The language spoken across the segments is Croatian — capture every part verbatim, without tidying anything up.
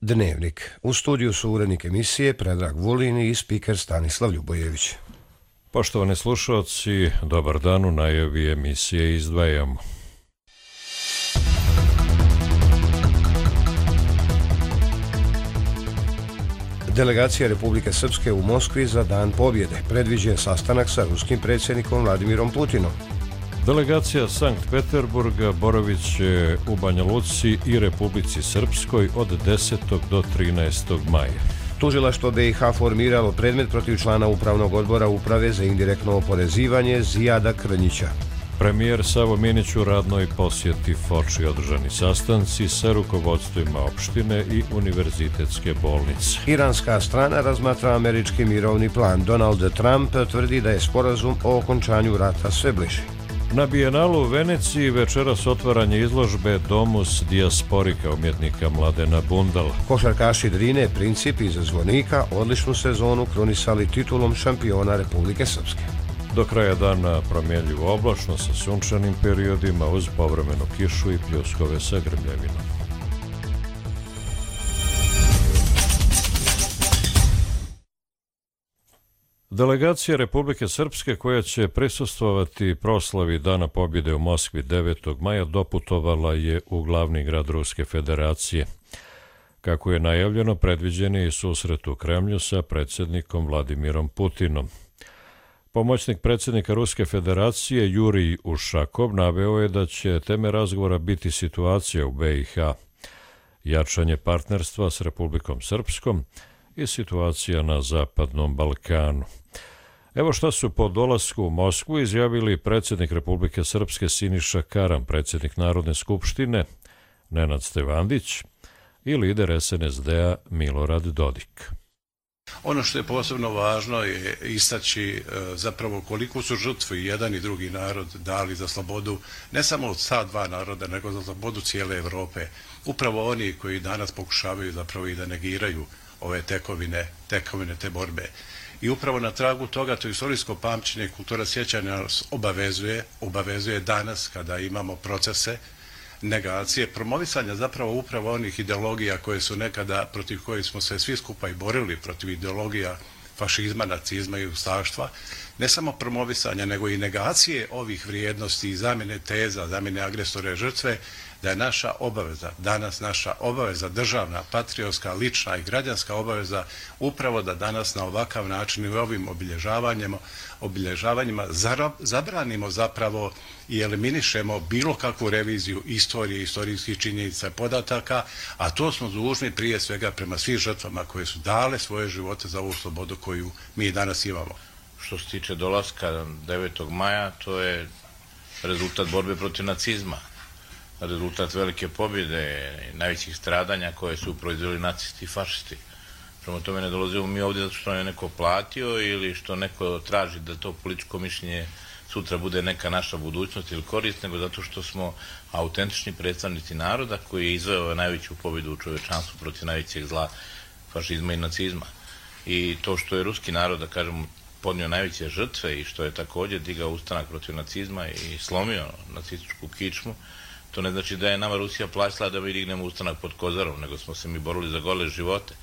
Dnevnik. U studiju su urednik emisije Predrag Vulin i spiker Stanislav Ljubojević. Poštovani slušalci, dobar dan, u najavi emisije izdvajamo. Delegacija Republike Srpske u Moskvi za Dan pobjede predviđen sastanak sa ruskim predsjednikom Vladimirom Putinom. Delegacija Sankt Peterburga boravit će u Banja Luci i Republici Srpskoj od desetog do trinaestog maja. Tužilaštvo B i H formiralo predmet protiv člana Upravnog odbora Uprave za indirektno oporezivanje Zijada Krnjića. Premijer Savo Minić u radnoj posjeti Foči, održani sastanci sa rukovodstvima opštine i univerzitetske bolnice. Iranska strana razmatra američki mirovni plan. Donald Trump tvrdi da je sporazum o okončanju rata sve bliži. Na Bijenalu u Veneciji večeras otvaranje izložbe Domus dijasporika umjetnika Mladena Bundala. Košarkaši Drine Princip iz Zvornika odličnu sezonu krunisali titulom šampiona Republike Srpske. Do kraja dana promjenljivo oblačno sa sunčanim periodima uz povremenu kišu i pljuskove sa grmljavinom. Delegacija Republike Srpske koja će prisustvovati proslavi Dana pobjede u Moskvi devetog maja doputovala je u glavni grad Ruske federacije. Kako je najavljeno, predviđen je i susret u Kremlju sa predsjednikom Vladimirom Putinom. Pomoćnik predsjednika Ruske federacije Jurij Ušakov naveo je da će teme razgovora biti situacija u B i H, jačanje partnerstva s Republikom Srpskom i situacija na Zapadnom Balkanu. Evo šta su po dolasku u Moskvu izjavili predsjednik Republike Srpske Siniša Karan, predsjednik Narodne skupštine Nenad Stevandić i lider S N S D-a Milorad Dodik. Ono što je posebno važno je istaći zapravo koliko su žrtve i jedan i drugi narod dali za slobodu, ne samo od ta dva naroda, nego za slobodu cijele Europe. Upravo oni koji danas pokušavaju zapravo i da negiraju ove tekovine, tekovine te borbe. I upravo na tragu toga to istorijsko pamćenje, kultura sjećanja nas obavezuje, obavezuje danas kada imamo procese negacije, promovisanja zapravo upravo onih ideologija koje su nekada, protiv kojih smo se svi skupa i borili, protiv ideologija fašizma, nacizma i ustaštva, ne samo promovisanja, nego i negacije ovih vrijednosti i zamjene teza, zamjene agresore žrtve, da je naša obaveza, danas naša obaveza, državna, patriotska, lična i građanska obaveza, upravo da danas na ovakav način i ovim obilježavanjima, obilježavanjima zabranimo zapravo i eliminišemo bilo kakvu reviziju istorije, istorijskih činjenica i podataka, a to smo dužni prije svega prema svim žrtvama koje su dale svoje živote za ovu slobodu koju mi danas imamo. Što se tiče dolaska devetog maja, to je rezultat borbe protiv nacizma, rezultat velike pobjede, najvećih stradanja koje su proizveli nacisti i fašisti. Prema tome ne dolazimo mi ovdje zato što je neko platio ili što neko traži da to političko mišljenje sutra bude neka naša budućnost ili korist, nego zato što smo autentični predstavnici naroda koji je izveo najveću pobjedu u čovečanstvu protiv najvećeg zla, fašizma i nacizma. I to što je ruski narod, da kažemo, podnio najveće žrtve i što je također digao ustanak protiv nacizma i slomio nacističku kičmu, to ne znači da je nama Rusija plaćala da mi dignemo ustanak pod Kozarom, nego smo se mi borili za gole živote.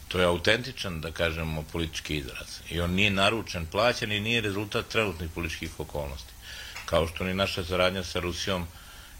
To je autentičan, da kažemo, politički izraz. I on nije naručen, plaćen i nije rezultat trenutnih političkih okolnosti. Kao što ni naša saradnja sa Rusijom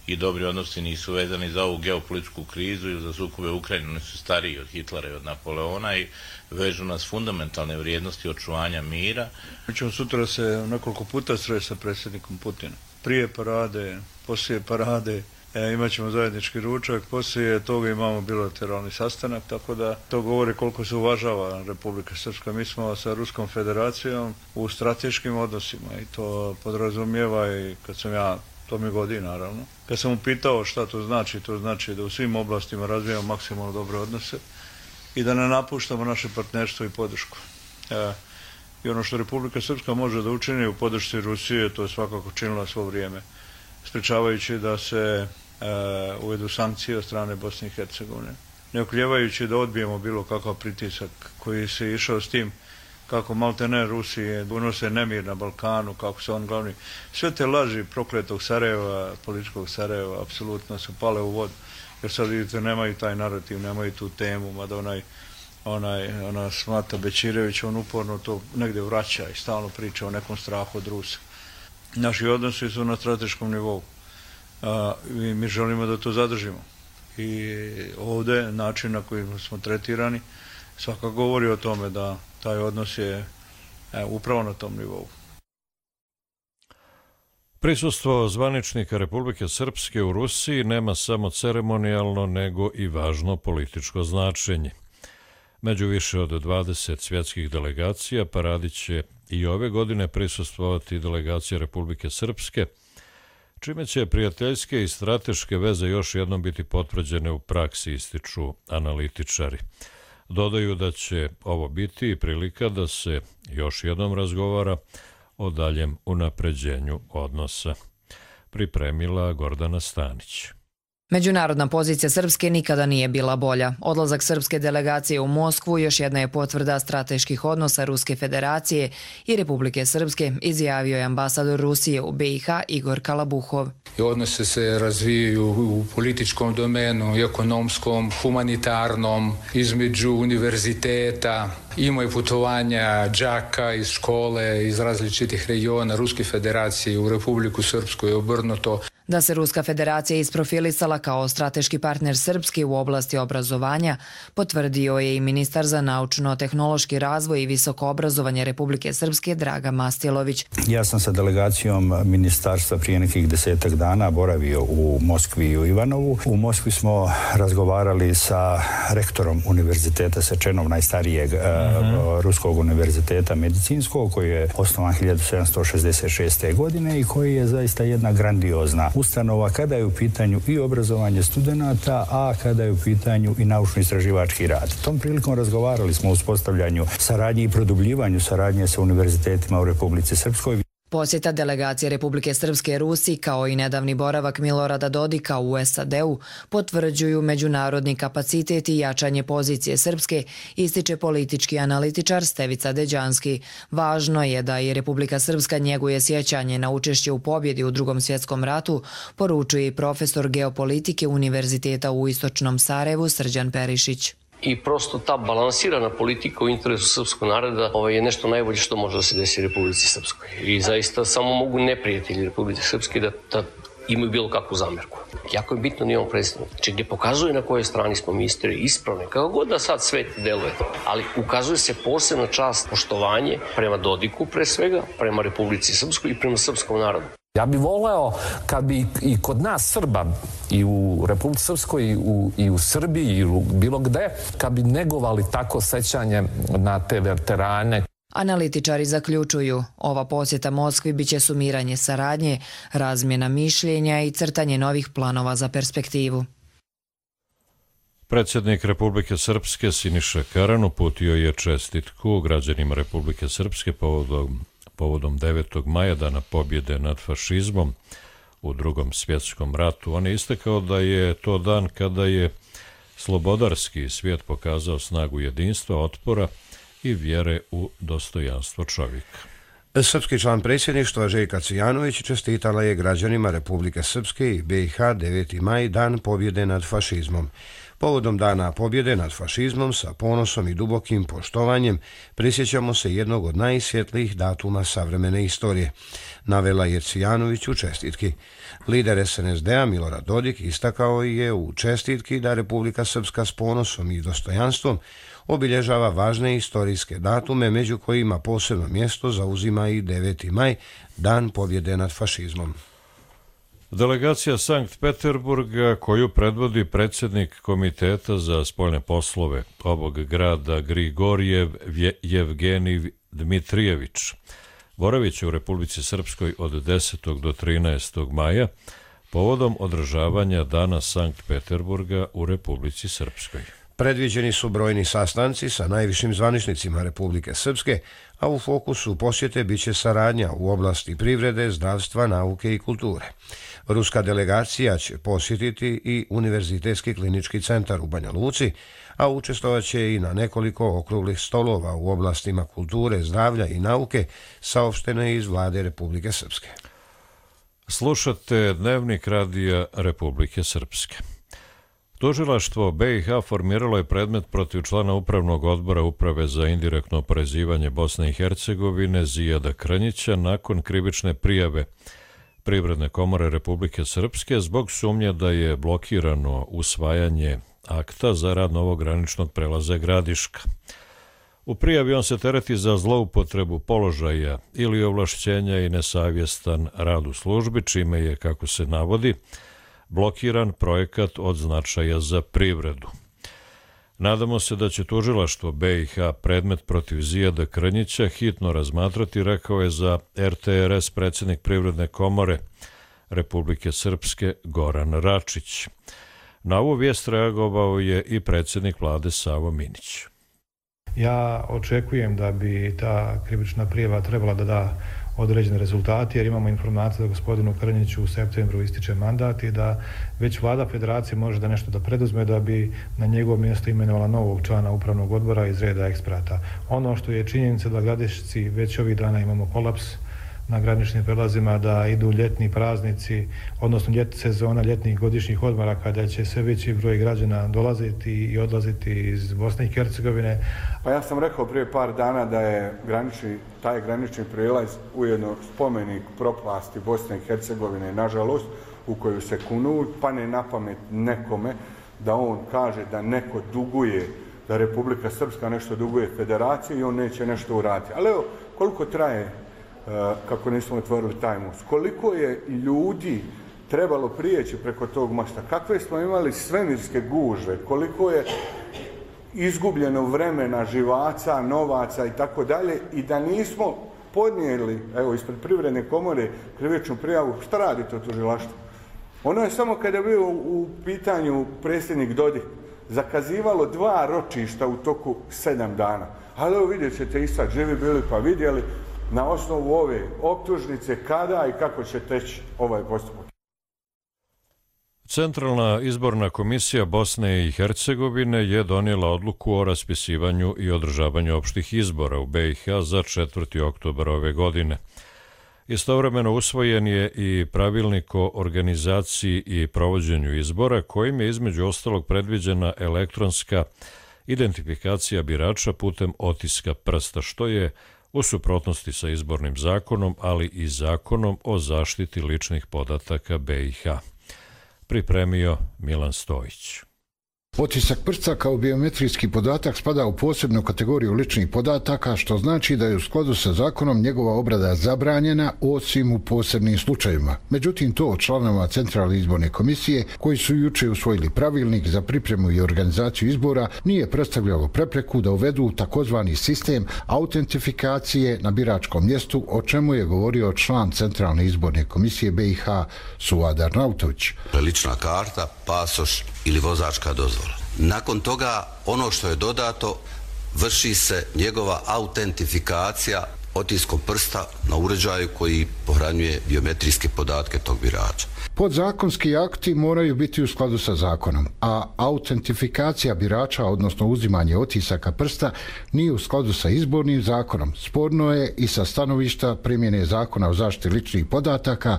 i dobri odnosi nisu vezani za ovu geopolitičku krizu ili za sukobe u Ukrajini. Oni su stariji od Hitlera i od Napoleona i vežu nas fundamentalne vrijednosti očuvanja mira. Mi ćemo sutra se nekoliko puta sresti sa predsjednikom Putinom. Prije parade, poslije parade, E, imat ćemo zajednički ručak, poslije toga imamo bilateralni sastanak, tako da to govori koliko se uvažava Republika Srpska. Mi smo sa Ruskom federacijom u strateškim odnosima i to podrazumijeva i kad sam ja, to mi godi naravno, kad sam upitao šta to znači, to znači da u svim oblastima razvijamo maksimalno dobre odnose i da ne napuštamo naše partnerstvo i podršku. E, I ono što Republika Srpska može da učini u podršci Rusije, to je svakako činila svo vrijeme, sprečavajući da se e, uvedu sankcije od strane Bosne i Hercegovine, ne okljevajući da odbijemo bilo kakav pritisak koji se išao s tim kako maltene Rusije unose nemir na Balkanu, kako se on glavni. Sve te laži prokletog Sarajeva, političkog Sarajeva, apsolutno su pale u vodu. jer sad vidite nemaju taj narativ, nemaju tu temu, mada onaj onaj, ona Smata Bećirević, on uporno to negdje vraća i stalno priča o nekom strahu od Rusa. Naši odnosi su na strateškom nivou a, i mi želimo da to zadržimo. I ovdje način na koji smo tretirani svakako govori o tome da taj odnos je e, upravo na tom nivou. Prisustvo zvaničnika Republike Srpske u Rusiji nema samo ceremonijalno nego i važno političko značenje. Među više od dvadeset svjetskih delegacija paradi će i ove godine prisustvovati delegacija Republike Srpske, čime će prijateljske i strateške veze još jednom biti potvrđene u praksi, ističu analitičari. Dodaju da će ovo biti prilika da se još jednom razgovara o daljem unapređenju odnosa. Pripremila Gordana Stanić. Međunarodna pozicija Srpske nikada nije bila bolja. Odlazak srpske delegacije u Moskvu još jedna je potvrda strateških odnosa Ruske federacije i Republike Srpske, izjavio je ambasador Rusije u be i ha Igor Kalabuhov. Odnose se razvijaju u političkom domenu, ekonomskom, humanitarnom, između univerziteta. Imaju putovanja đaka iz škole, iz različitih regiona Ruske federacije u Republiku Srpsku i obrnuto. Da se Ruska federacija isprofilisala kao strateški partner Srpske u oblasti obrazovanja, potvrdio je i ministar za naučno-tehnološki razvoj i visoko obrazovanje Republike Srpske Draga Mastilović. Ja sam sa delegacijom ministarstva prije nekih desetak dana boravio u Moskvi i u Ivanovu. U Moskvi smo razgovarali sa rektorom univerziteta Sečenov, najstarijeg uh-huh. ruskog univerziteta medicinskog, koji je osnovan hiljadu sedamsto šezdeset šeste. godine i koji je zaista jedna grandiozna ustanova kada je u pitanju i obrazovanje studenata, a kada je u pitanju i naučno-istraživački rad. Tom prilikom razgovarali smo o uspostavljanju saradnje i produbljivanju saradnje sa univerzitetima u Republici Srpskoj. Posjeta delegacije Republike Srpske Rusiji kao i nedavni boravak Milorada Dodika u es a de-u potvrđuju međunarodni kapacitet i jačanje pozicije Srpske, ističe politički analitičar Stevica Deđanski. Važno je da i Republika Srpska njeguje sjećanje na učešće u pobjedi u Drugom svjetskom ratu, poručuje i profesor geopolitike Univerziteta u Istočnom Sarajevu Srđan Perišić. I prosto ta balansirana politika u interesu srpskog naroda ovaj, je nešto najbolje što može da se desi Republici Srpskoj. I zaista samo mogu neprijatelji Republike Srpske da, da imaju bilo kakvu zamjerku. Jako je bitno da imamo predstavnika. Znači gdje pokazuje na kojoj strani smo mi istorije ispravne, kako god da sad svet deluje. Ali ukazuje se posebna čast, poštovanje prema Dodiku pre svega, prema Republici Srpskoj i prema srpskom narodu. Ja bih voleo kad bi i kod nas Srba i u Republici Srpskoj i u, i u Srbiji i u bilo gde, kad bi negovali tako sećanje na te veterane. Analitičari zaključuju, ova posjeta Moskvi biće sumiranje saradnje, razmjena mišljenja i crtanje novih planova za perspektivu. Predsjednik Republike Srpske Siniša Karan uputio je čestitku građanima Republike Srpske povodom povodom devetog maja, dana pobjede nad fašizmom u Drugom svjetskom ratu. On je istakao da je to dan kada je slobodarski svijet pokazao snagu jedinstva, otpora i vjere u dostojanstvo čovjeka. Srpski član predsjedništva Željka Cvijanović čestitala je građanima Republike Srpske i be i ha deveti maj, dan pobjede nad fašizmom. Povodom dana pobjede nad fašizmom sa ponosom i dubokim poštovanjem prisjećamo se jednog od najsvjetlijih datuma savremene istorije, navela je Cvijanović u čestitki. Lider es en es de-a Milorad Dodik istakao je u čestitki da Republika Srpska s ponosom i dostojanstvom obilježava važne istorijske datume, među kojima posebno mjesto zauzima i deveti maj, dan pobjede nad fašizmom. Delegacija Sankt Peterburga, koju predvodi predsjednik Komiteta za spoljne poslove ovog grada Grigorjev Jevgenij Dmitrijević, boravit će u Republici Srpskoj od desetog do trinaestog maja povodom održavanja Dana Sankt Peterburga u Republici Srpskoj. Predviđeni su brojni sastanci sa najvišim zvaničnicima Republike Srpske, a u fokusu posjete biće saradnja u oblasti privrede, zdravstva, nauke i kulture. Ruska delegacija će posjetiti i Univerzitetski klinički centar u Banja Luci, a učestvovat će i na nekoliko okruglih stolova u oblastima kulture, zdravlja i nauke, saopštene iz vlade Republike Srpske. Slušate Dnevnik radija Republike Srpske. Tužilaštvo B i H formiralo je predmet protiv člana Upravnog odbora Uprave za indirektno oporezivanje Bosne i Hercegovine Zijada Krnjića nakon krivične prijave Privredne komore Republike Srpske zbog sumnje da je blokirano usvajanje akta za rad novog graničnog prelaza Gradiška. U prijavi on se tereti za zloupotrebu položaja ili ovlašćenja i nesavjestan rad u službi, čime je, kako se navodi, blokiran projekat od značaja za privredu. Nadamo se da će tužilaštvo B i H predmet protiv Zijada Krnjića hitno razmatrati, rekao je za R T R S predsjednik Privredne komore Republike Srpske Goran Račić. Na ovu vijest reagovao je i predsjednik vlade Savo Minić. Ja očekujem da bi ta krivična prijava trebala da da određene rezultate, jer imamo informaciju da gospodinu Krnjiću u septembru ističe mandat i da već vlada federacije može da nešto da preduzme da bi na njegovo mjesto imenovala novog člana upravnog odbora iz reda eksperata. Ono što je činjenica da Gradišci već ovih dana imamo kolaps na graničnim prelazima, da idu ljetni praznici, odnosno ljetna sezona ljetnih godišnjih odmora kada će sve veći broj građana dolaziti i odlaziti iz Bosne i Hercegovine. Pa ja sam rekao prije par dana da je granični, taj granični prijelaz ujedno spomenik propasti Bosne i Hercegovine, nažalost, u koju se kunu, pa ne na pamet nekome da on kaže da neko duguje, da Republika Srpska nešto duguje federaciji i on neće nešto uraditi. Ali evo, koliko traje kako nismo otvorili taj most. Koliko je ljudi trebalo prijeći preko tog mosta, kakve smo imali svemirske gužve, koliko je izgubljeno vremena, živaca, novaca i tako dalje, i da nismo podnijeli, evo, ispred Privredne komore krivičnu prijavu, šta radi to tužilaštvo? Ono je samo kada je bio u pitanju predsjednik Dodik zakazivalo dva ročišta u toku sedam dana. Ali evo, vidjet ćete i sad, živi bili pa vidjeli na osnovu ove optužnice kada i kako će teći ovaj postupak. Centralna izborna komisija Bosne i Hercegovine je donijela odluku o raspisivanju i održavanju opštih izbora u B i H za četvrti oktobar ove godine. Istovremeno usvojen je i pravilnik o organizaciji i provođenju izbora, kojim je između ostalog predviđena elektronska identifikacija birača putem otiska prsta, što je u suprotnosti sa izbornim zakonom, ali i zakonom o zaštiti ličnih podataka B i H. Pripremio Milan Stojić. Otisak prsta kao biometrijski podatak spada u posebnu kategoriju ličnih podataka, što znači da je u skladu sa zakonom njegova obrada zabranjena osim u posebnim slučajevima. Međutim, to od članova Centralne izborne komisije, koji su juče usvojili pravilnik za pripremu i organizaciju izbora, nije predstavljalo prepreku da uvedu takozvani sistem autentifikacije na biračkom mjestu, o čemu je govorio član Centralne izborne komisije B i H Suadar Nautović. Lična karta, pasoš ili vozačka dozvola. Nakon toga, ono što je dodato, vrši se njegova autentifikacija otiskom prsta na uređaju koji pohranjuje biometrijske podatke tog birača. Podzakonski akti moraju biti u skladu sa zakonom, a autentifikacija birača, odnosno uzimanje otisaka prsta, nije u skladu sa izbornim zakonom. Sporno je i sa stanovišta primjene zakona o zaštiti ličnih podataka,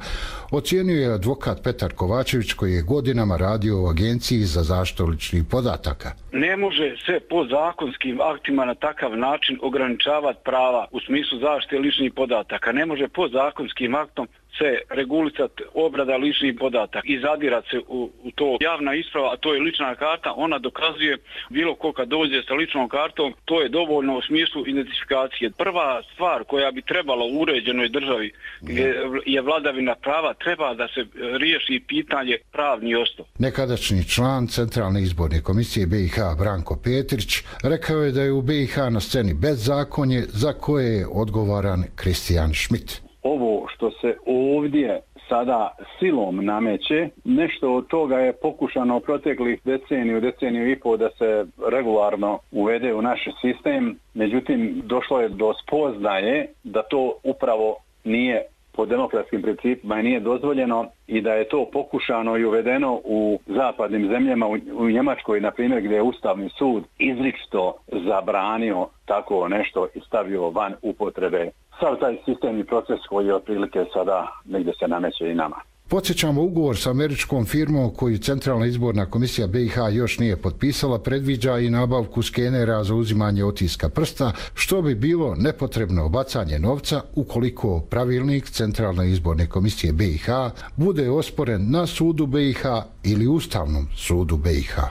ocijenio je advokat Petar Kovačević, koji je godinama radio u Agenciji za zaštitu ličnih podataka. Ne može se podzakonskim aktima na takav način ograničavati prava u smislu zaštite ličnih podataka. Ne može podzakonskim aktom se regulisati obrada ličnih podataka i zadirati se u, u to. Javna isprava, a to je lična karta, ona dokazuje bilo ko kad dođe sa ličnom kartom, to je dovoljno u smislu identifikacije. Prva stvar koja bi trebala u uređenoj državi gdje je vladavina prava, treba da se riješi pitanje pravni osnov. Nekadašnji član Centralne izborne komisije B i H Branko Petrić rekao je da je u B i H na sceni bezzakonje za koje je odgovoran Kristijan Šmit. Ovo što se ovdje sada silom nameće, nešto od toga je pokušano proteklih deceniju, deceniju i pol da se regularno uvede u naš sistem, međutim došlo je do spoznaje da to upravo nije po demokratskim principima i nije dozvoljeno i da je to pokušano i uvedeno u zapadnim zemljama, u, u Njemačkoj, na primjer, gdje je Ustavni sud izričito zabranio tako nešto i stavio van upotrebe. Sav taj sistemni proces koji je otprilike sada negdje se nameće i nama. Podsjećamo, ugovor sa američkom firmom koju Centralna izborna komisija B i H još nije potpisala predviđa i nabavku skenera za uzimanje otiska prsta, što bi bilo nepotrebno bacanje novca ukoliko pravilnik Centralne izborne komisije B i H bude osporen na sudu B i H ili Ustavnom sudu B i H.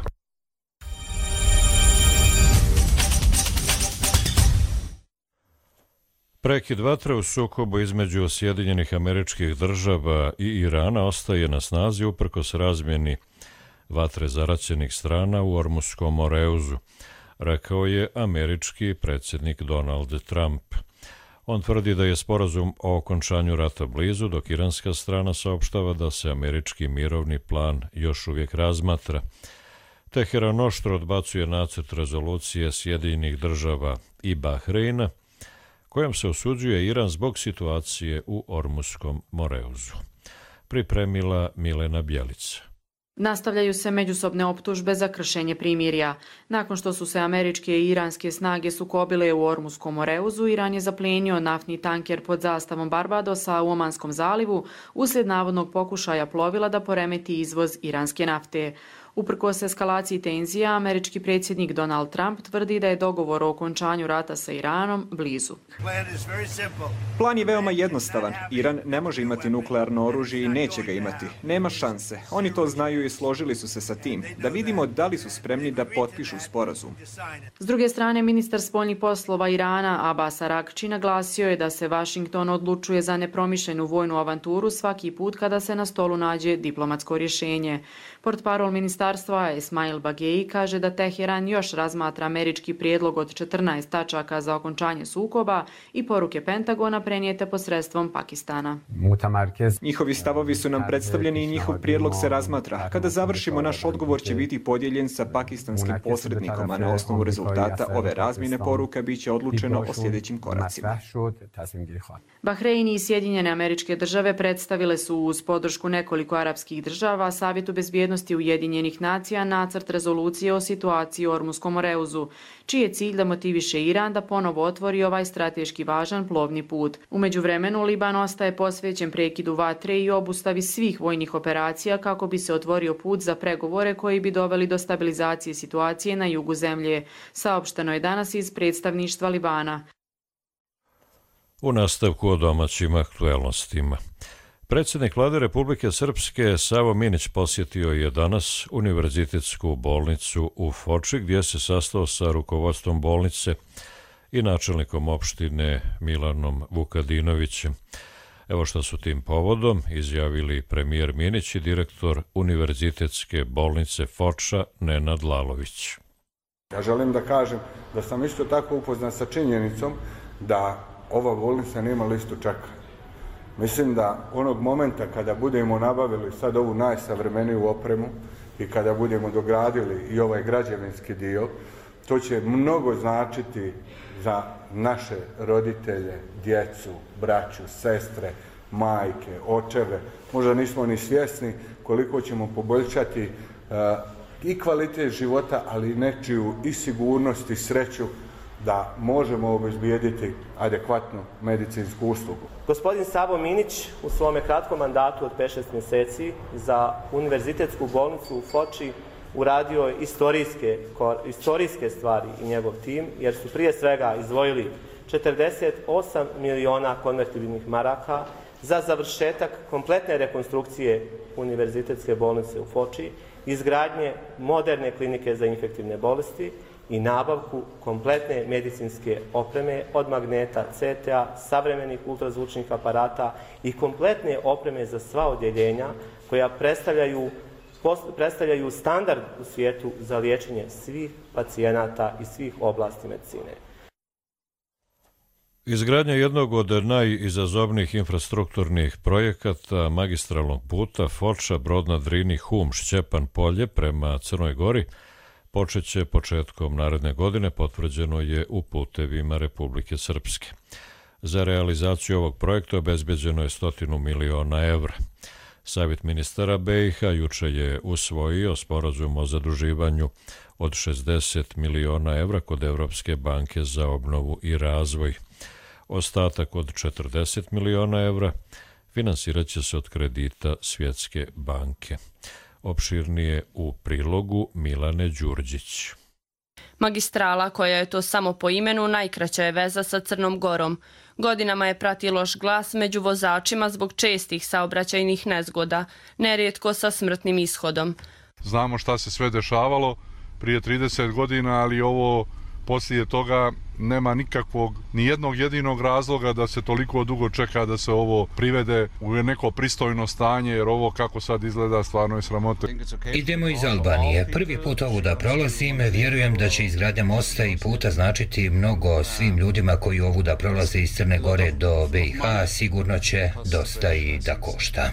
Prekid vatre u sukobu između Sjedinjenih Američkih Država i Irana ostaje na snazi uprkos razmjeni vatre zaraćenih strana u Ormuskom Moreuzu, rekao je američki predsjednik Donald Trump. On tvrdi da je sporazum o okončanju rata blizu, dok iranska strana saopštava da se američki mirovni plan još uvijek razmatra. Teheran oštro odbacuje nacrt rezolucije Sjedinjenih Država i Bahreina, kojom se osuđuje Iran zbog situacije u Ormuskom Moreuzu. Pripremila Milena Bjelica. Nastavljaju se međusobne optužbe za kršenje primirja. Nakon što su se američke i iranske snage sukobile u Ormuskom Moreuzu, Iran je zaplijenio naftni tanker pod zastavom Barbadosa u Omanskom zalivu uslijed navodnog pokušaja plovila da poremeti izvoz iranske nafte. Uprkos eskalaciji tenzija, američki predsjednik Donald Trump tvrdi da je dogovor o okončanju rata sa Iranom blizu. Plan je veoma jednostavan. Iran ne može imati nuklearno oružje i neće ga imati. Nema šanse. Oni to znaju i složili su se sa tim. Da vidimo da li su spremni da potpišu sporazum. S druge strane, ministar spoljnih poslova Irana Abbas Araghči naglasio je da se Washington odlučuje za nepromišljenu vojnu avanturu svaki put kada se na stolu nađe diplomatsko rješenje. Portparol ministarstva Esmail Bagei kaže da Teheran još razmatra američki prijedlog od četrnaest tačaka za okončanje sukoba i poruke Pentagona prenijete posredstvom Pakistana. Njihovi stavovi su nam predstavljeni i njihov prijedlog se razmatra. Kada završimo, naš odgovor će biti podijeljen sa pakistanskim posrednikom, a na osnovu rezultata ove razmjene poruka bit će odlučeno o sljedećim koracima. Bahrein i Sjedinjene Američke Države predstavile su uz podršku nekoliko arapskih država Savjetu bezbjednosti Ujedinjenih nacija nacrt rezolucije o situaciji u Ormuskom Moreuzu, čiji je cilj da motiviše Iran da ponovo otvori ovaj strateški važan plovni put. U međuvremenu, Liban ostaje posvećen prekidu vatre i obustavi svih vojnih operacija kako bi se otvorio put za pregovore koji bi doveli do stabilizacije situacije na jugu zemlje, saopšteno je danas iz predstavništva Libana. U nastavku o domaćim aktuelnostima. Predsjednik Vlade Republike Srpske Savo Minić posjetio je danas Univerzitetsku bolnicu u Foči, gdje se sastao sa rukovodstvom bolnice i načelnikom opštine Milanom Vukadinovićem. Evo što su tim povodom izjavili premijer Minić i direktor Univerzitetske bolnice Foča Nenad Lalović. Ja želim da kažem da sam isto tako upoznan sa činjenicom da ova bolnica nema listu čekanja. Mislim da onog momenta kada budemo nabavili sad ovu najsavremeniju opremu i kada budemo dogradili i ovaj građevinski dio, to će mnogo značiti za naše roditelje, djecu, braću, sestre, majke, očeve. Možda nismo ni svjesni koliko ćemo poboljšati uh, i kvalitet života, ali i nečiju i sigurnost i sreću da možemo obezbijediti adekvatnu medicinsku uslugu. Gospodin Savo Minić u svome kratkom mandatu od pet šest mjeseci za Univerzitetsku bolnicu u Foči uradio je istorijske, istorijske stvari i njegov tim, jer su prije svega izdvojili četrdeset osam miliona konvertibilnih maraka za završetak kompletne rekonstrukcije Univerzitetske bolnice u Foči, izgradnje moderne klinike za infektivne bolesti i nabavku kompletne medicinske opreme od magneta, C T A, savremenih ultrazvučnih aparata i kompletne opreme za sva odjeljenja koja predstavljaju, predstavljaju standard u svijetu za liječenje svih pacijenata i svih oblasti medicine. Izgradnja jednog od najizazovnijih infrastrukturnih projekata magistralnog puta Foča, Brod na Drini, Hum, Šćepan, Polje prema Crnoj Gori počet će početkom naredne godine, potvrđeno je u putevima Republike Srpske. Za realizaciju ovog projekta obezbeđeno je stotinu miliona evra. Savjet ministara B i H juče je usvojio sporazum o zaduživanju od šezdeset miliona evra kod Evropske banke za obnovu i razvoj. Ostatak od četrdeset miliona evra finansirat će se od kredita Svjetske banke. Opširnije u prilogu Milane Đurđić. Magistrala, koja je to samo po imenu, najkraća je veza sa Crnom Gorom. Godinama je prati loš glas među vozačima zbog čestih saobraćajnih nezgoda, nerijetko sa smrtnim ishodom. Znamo šta se sve dešavalo prije trideset godina, ali ovo poslije toga nema nikakvog, ni jednog jedinog razloga da se toliko dugo čeka da se ovo privede u neko pristojno stanje, jer ovo kako sad izgleda stvarno je sramota. Idemo iz Albanije. Prvi put ovu da prolazim, vjerujem da će izgradnja mosta i puta značiti mnogo svim ljudima koji ovu da prolaze iz Crne Gore do B i H, sigurno će dosta i da košta.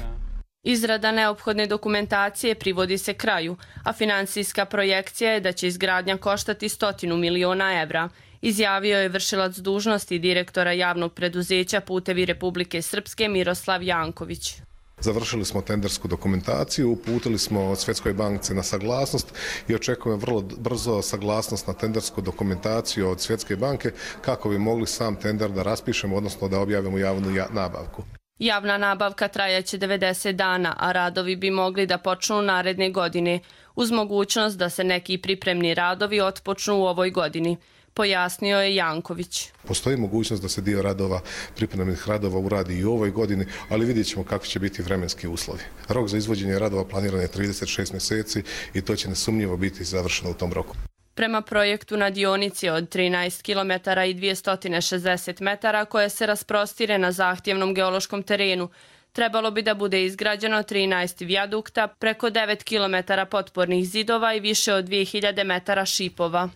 Izrada neophodne dokumentacije privodi se kraju, a finansijska projekcija je da će izgradnja koštati stotinu miliona evra, izjavio je vršilac dužnosti direktora javnog preduzeća Putevi Republike Srpske Miroslav Janković. Završili smo tendersku dokumentaciju, uputili smo Svjetskoj banci na saglasnost i očekujemo vrlo brzo saglasnost na tendersku dokumentaciju od Svjetske banke kako bi mogli sam tender da raspišemo, odnosno da objavimo javnu nabavku. Javna nabavka trajaće devedeset dana, a radovi bi mogli da počnu naredne godine, uz mogućnost da se neki pripremni radovi otpočnu u ovoj godini, pojasnio je Janković. Postoji mogućnost da se dio radova, pripremnih radova uradi i u ovoj godini, ali vidjet ćemo kako će biti vremenski uslovi. Rok za izvođenje radova planiran je trideset šest mjeseci i to će nesumnjivo biti završeno u tom roku. Prema projektu na dionici od trinaest kilometara i dvjesto šezdeset metara koje se rasprostire na zahtjevnom geološkom terenu, trebalo bi da bude izgrađeno trinaest vijadukta, preko devet kilometara potpornih zidova i više od dvije hiljade metara šipova.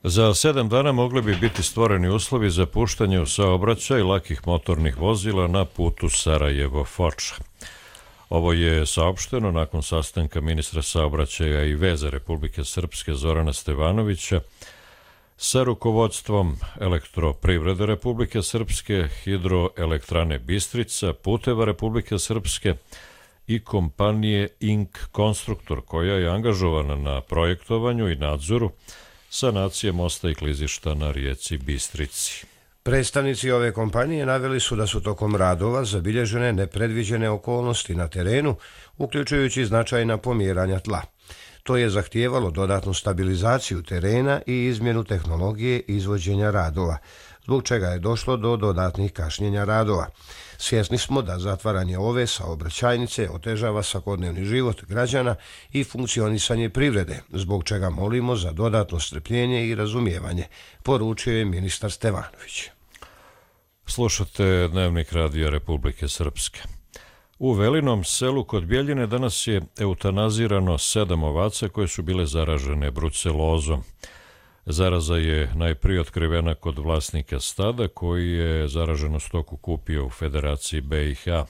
Za sedam dana mogli bi biti stvoreni uslovi za puštanje u saobraćaj lakih motornih vozila na putu Sarajevo-Foča. Ovo je saopšteno nakon sastanka ministra saobraćaja i veza Republike Srpske Zorana Stevanovića sa rukovodstvom Elektroprivrede Republike Srpske, Hidroelektrane Bistrica, Puteva Republike Srpske i kompanije Ink Konstruktor, koja je angažovana na projektovanju i nadzoru sanacije mosta i klizišta na rijeci Bistrici. Predstavnici ove kompanije naveli su da su tokom radova zabilježene nepredviđene okolnosti na terenu, uključujući značajna pomjeranja tla. To je zahtijevalo dodatnu stabilizaciju terena i izmjenu tehnologije izvođenja radova, zbog čega je došlo do dodatnih kašnjenja radova. Svjesni smo da zatvaranje ove saobraćajnice otežava svakodnevni život građana i funkcionisanje privrede, zbog čega molimo za dodatno strpljenje i razumijevanje, poručio je ministar Stevanović. Slušate Dnevnik radija Republike Srpske. U Velinom selu kod Bjeljine danas je eutanazirano sedam ovaca koje su bile zaražene brucelozom. Zaraza je najprije otkrivena kod vlasnika stada koji je zaraženu stoku kupio u Federaciji B i H.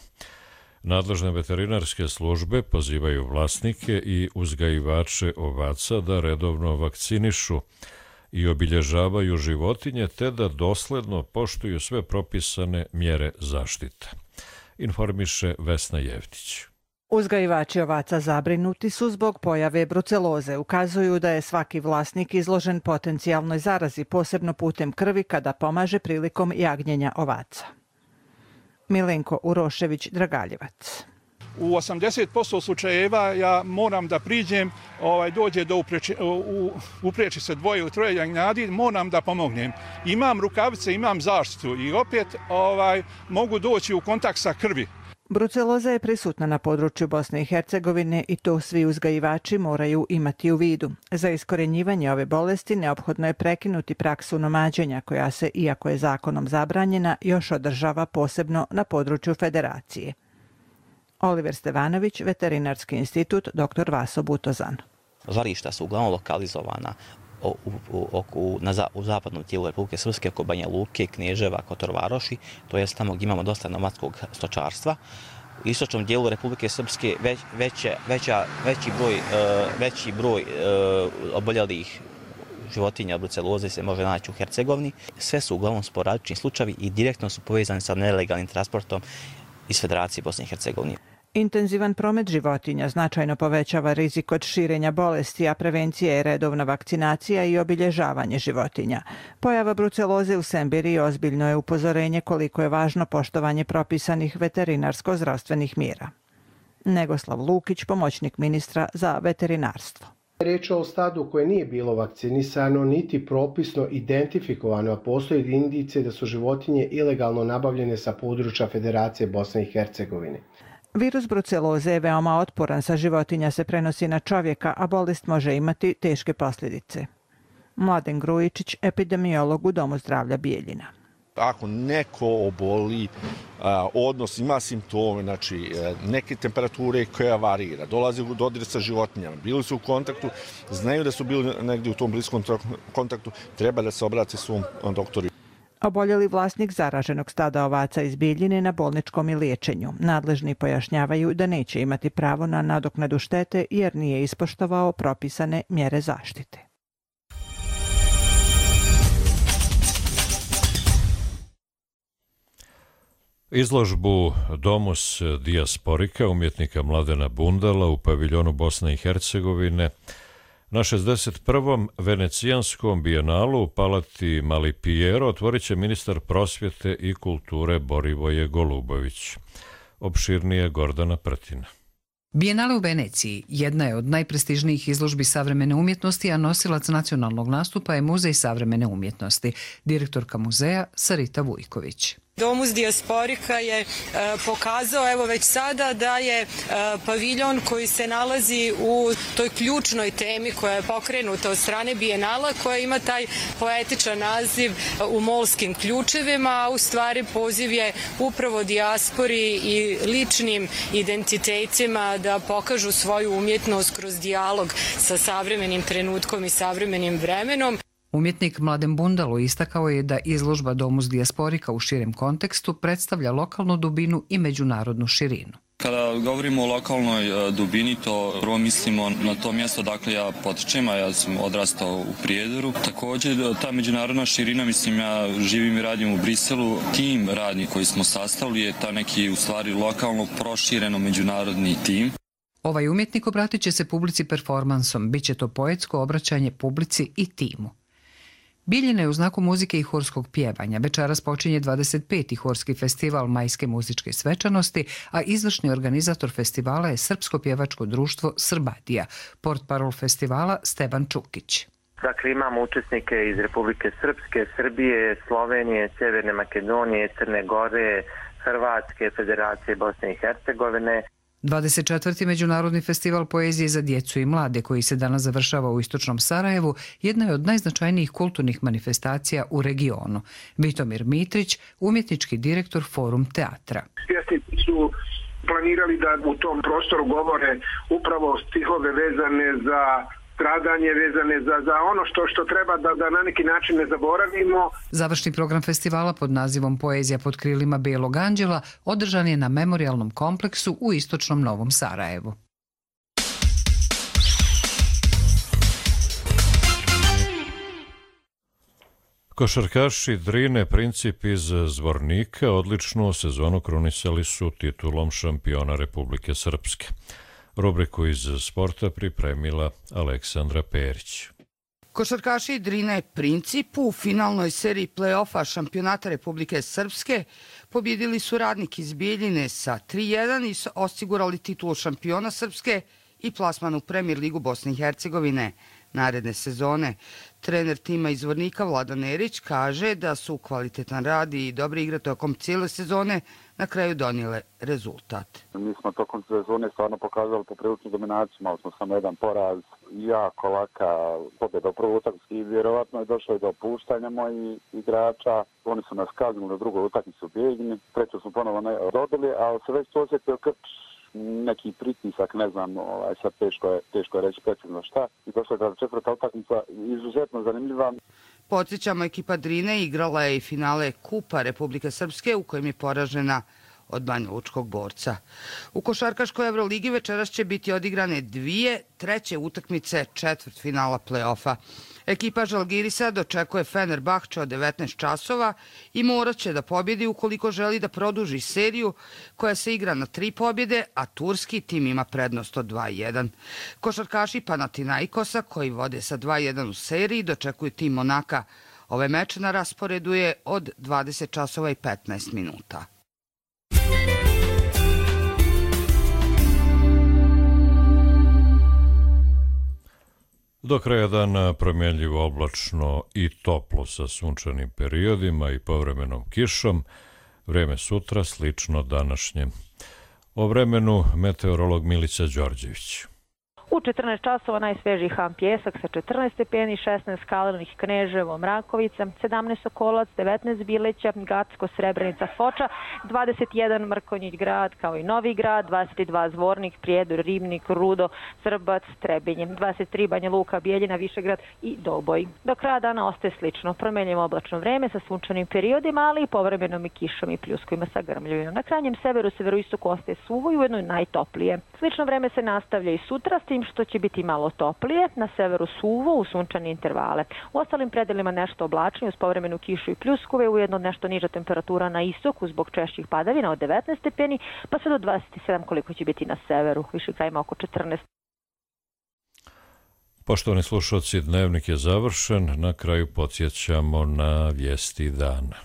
Nadležne veterinarske službe pozivaju vlasnike i uzgajivače ovaca da redovno vakcinišu i obilježavaju životinje te da dosledno poštuju sve propisane mjere zaštite. Informiše Vesna Jevtić. Uzgajivači ovaca zabrinuti su zbog pojave bruceloze. Ukazuju da je svaki vlasnik izložen potencijalnoj zarazi, posebno putem krvi kada pomaže prilikom jagnjenja ovaca. Milenko Urošević-Dragaljevac. U osamdeset posto slučajeva ja moram da priđem, ovaj, dođe do upreči, u, upreči se dvoje ili troje jagnjadi, moram da pomognem. Imam rukavice, imam zaštitu i opet ovaj, mogu doći u kontakt sa krvi. Bruceloza je prisutna na području Bosne i Hercegovine i to svi uzgajivači moraju imati u vidu. Za iskorenjivanje ove bolesti neophodno je prekinuti praksu nomađenja koja se, iako je zakonom zabranjena, još održava posebno na području Federacije. Oliver Stevanović, Veterinarski institut, doktor Vaso Butozan. Žarišta su uglavnom lokalizovana u, u, u, na za, u zapadnom tijelu Republike Srpske, oko Banja Luke, Knježeva, Kotor Varoši, to je tamo gdje imamo dosta nomadskog stočarstva. U istočnom dijelu Republike Srpske već, veće, veća, veći broj, uh, veći broj uh, oboljelih životinja bruceloze se može naći u Hercegovini. Sve su uglavnom sporadični slučajevi i direktno su povezani sa nelegalnim transportom iz Federacije Bosne i Hercegovine. Intenzivan promet životinja značajno povećava rizik od širenja bolesti, a prevencija je redovna vakcinacija i obilježavanje životinja. Pojava bruceloze u Sembiri ozbiljno je upozorenje koliko je važno poštovanje propisanih veterinarsko-zdravstvenih mjera. Negoslav Lukić, pomoćnik ministra za veterinarstvo. Riječ je o stadu koje nije bilo vakcinisano niti propisno identifikovano, a postoje indicije da su životinje ilegalno nabavljene sa područja Federacije Bosne i Hercegovine. Virus bruceloze je veoma otporan, sa životinja se prenosi na čovjeka, a bolest može imati teške posljedice. Mladen Grujičić, epidemiolog u Domu zdravlja Bijeljina. Ako neko oboli, odnos ima simptome, znači neke temperature koja varira, dolazi u dodir sa životinjama, bili su u kontaktu, znaju da su bili negdje u tom bliskom kontaktu, treba da se obrati svom doktoru. Oboljeli vlasnik zaraženog stada ovaca iz Bijeljine na bolničkom i liječenju. Nadležni pojašnjavaju da neće imati pravo na nadoknadu štete jer nije ispoštovao propisane mjere zaštite. Izložbu Domus dijasporika umjetnika Mladena Bundala u paviljonu Bosne i Hercegovine na šezdeset prvom venecijanskom bijenalu u palati Mali Piero otvorit će ministar prosvjete i kulture Borivoje Golubović. Opširnije Gordana Prtina. Bijenale u Veneciji jedna je od najprestižnijih izložbi savremene umjetnosti, a nosilac nacionalnog nastupa je Muzej savremene umjetnosti, direktorka muzeja Sarita Vujković. Domus dijasporika je e, pokazao evo već sada da je e, paviljon koji se nalazi u toj ključnoj temi koja je pokrenuta od strane Bijenala, koja ima taj poetičan naziv U molskim ključevima, a u stvari poziv je upravo dijaspori i ličnim identitetima da pokažu svoju umjetnost kroz dijalog sa savremenim trenutkom i savremenim vremenom. Umjetnik Mladen Bundalo istakao je da izložba Domus dijasporika u širem kontekstu predstavlja lokalnu dubinu i međunarodnu širinu. Kada govorimo o lokalnoj dubini, to prvo mislimo na to mjesto dakle ja potičem, a ja sam odrastao u Prijedoru. Također ta međunarodna širina, mislim ja živim i radim u Briselu, tim radnik koji smo sastavili je ta neki u stvari lokalno prošireno međunarodni tim. Ovaj umjetnik obratit će se publici performansom, bit će to poetsko obraćanje publici i timu. Bijeljina je u znaku muzike i horskog pjevanja. Večeras počinje dvadeset peti horski festival majske muzičke svečanosti, a izvršni organizator festivala je Srpsko pjevačko društvo Srbadija, portparol festivala Steban Čukić. Dakle, imamo učesnike iz Republike Srpske, Srbije, Slovenije, Sjeverne Makedonije, Crne Gore, Hrvatske, Federacije Bosne i Hercegovine. dvadeset četvrti Međunarodni festival poezije za djecu i mlade, koji se danas završava u istočnom Sarajevu, jedna je od najznačajnijih kulturnih manifestacija u regionu. Vitomir Mitrić, umjetnički direktor Forum teatra. Pjesnici su planirali da u tom prostoru govore upravo stihove vezane za stradanje, vezane za, za ono što, što treba da, da na neki način ne zaboravimo. Završni program festivala pod nazivom Poezija pod krilima Bijelog anđela održan je na memorijalnom kompleksu u istočnom Novom Sarajevu. Košarkaši Drine Princip iz Zvornika odličnu sezonu krunisali su titulom šampiona Republike Srpske. Rubriku iz sporta pripremila Aleksandra Perić. Košarkaši Drine Princip u finalnoj seriji play-offa šampionata Republike Srpske pobjedili su Radnik iz Bijeljine sa tri jedan i osigurali titulu šampiona Srpske i plasman u Premier ligu Bosne i Hercegovine naredne sezone. Trener tima iz Zvornika Vladan Nerić kaže da su kvalitetan rad i dobre igre tokom cijele sezone na kraju donijele rezultat. Mi smo tokom sezone stvarno pokazali popriličnu dominaciju, malo smo samo jedan poraz, jako laka pobjeda u prvoj utakmici i vjerovatno je došlo i do opuštanja mojih igrača. Oni su nas kaznili na drugoj utakmici u Bijeljini, treću smo ponovo ne dobili, ali se već osjetio Krč neki pritisak, ne znam, ovaj, sad teško je, teško je reći precizno šta. I došla je četvrta utakmica izuzetno zanimljiva. Podsjećamo, ekipa Drine igrala je i finale Kupa Republike Srpske u kojem je poražena od Banja Lučkog Borca. U košarkaškoj Euroligi večeras će biti odigrane dvije treće utakmice četvrt finala play-offa. Ekipa Žalgirisa dočekuje Fenerbahče od devetnaest časova i morat će da pobjedi ukoliko želi da produži seriju koja se igra na tri pobjede, a turski tim ima prednost od dva jedan. Košarkaši Panathinaikosa koji vode sa dva jedan u seriji dočekuju tim Monaka. Ovaj meč na rasporedu je od dvadeset časova i petnaest minuta. Do kraja dana promjenljivo oblačno i toplo sa sunčanim periodima i povremenom kišom. Vrijeme sutra slično današnjem. O vremenu meteorolog Milica Đorđević. U četrnaest časova najsvežiji ham Pjesak sa četrnaest stepeni, šesnaest Kalenić, Kneževo, Mrakovica, sedamnaest Sokolac, devetnaest Bileća, Gacko, Srebrenica, Foča, dvadeset jedan Mrkonjić grad kao i Novi grad, dvadeset dva Zvornik, Prijedor, Ribnik, Rudo, Srbac, Trebinje, dvadeset tri Banja Luka, Bijeljina, Višegrad i Doboj. Do kraja dana ostaje slično, promjenjivo oblačno vreme sa sunčanim periodima, ali i povremenom i kišom i pljuskovima sa grmljavima. Na krajnjem severu, severoistoku ostaje suvo i ujedno najtoplije. Slično vreme se nastavlja i sutra, s tim što će biti malo toplije, na severu suvo u sunčane intervale. U ostalim predelima nešto oblačnije uz povremenu kišu i pljuskove, ujedno nešto niža temperatura na istoku zbog češćih padavina od devetnaest stepeni, pa sve do dvadeset sedam koliko će biti na severu, više krajima oko četrnaest. Poštovani slušalci, dnevnik je završen, na kraju podsjećamo na vijesti dana.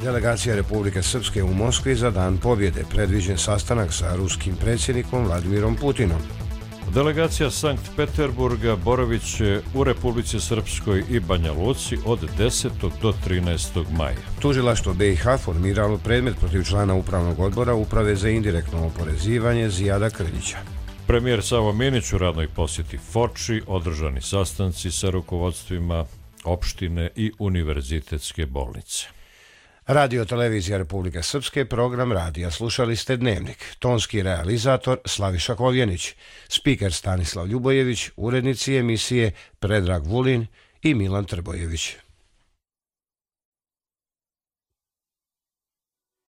Delegacija Republike Srpske u Moskvi za Dan pobjede, predviđen sastanak sa ruskim predsjednikom Vladimirom Putinom. Delegacija Sankt Peterburga boravit će u Republici Srpskoj i Banja Luci od desetog do trinaestog maja. Tužilaštvo B i H formiralo predmet protiv člana upravnog odbora Uprave za indirektno oporezivanje Zijada Krljića. Premijer Savo Minić u radnoj posjeti Foči, održani sastanci sa rukovodstvima opštine i univerzitetske bolnice. Radio Televizija Republike Srpske, program radija. Slušali ste Dnevnik. Tonski realizator Slaviša Kovjenić, spiker Stanislav Ljubojević, urednici emisije Predrag Vulin i Milan Trbojević.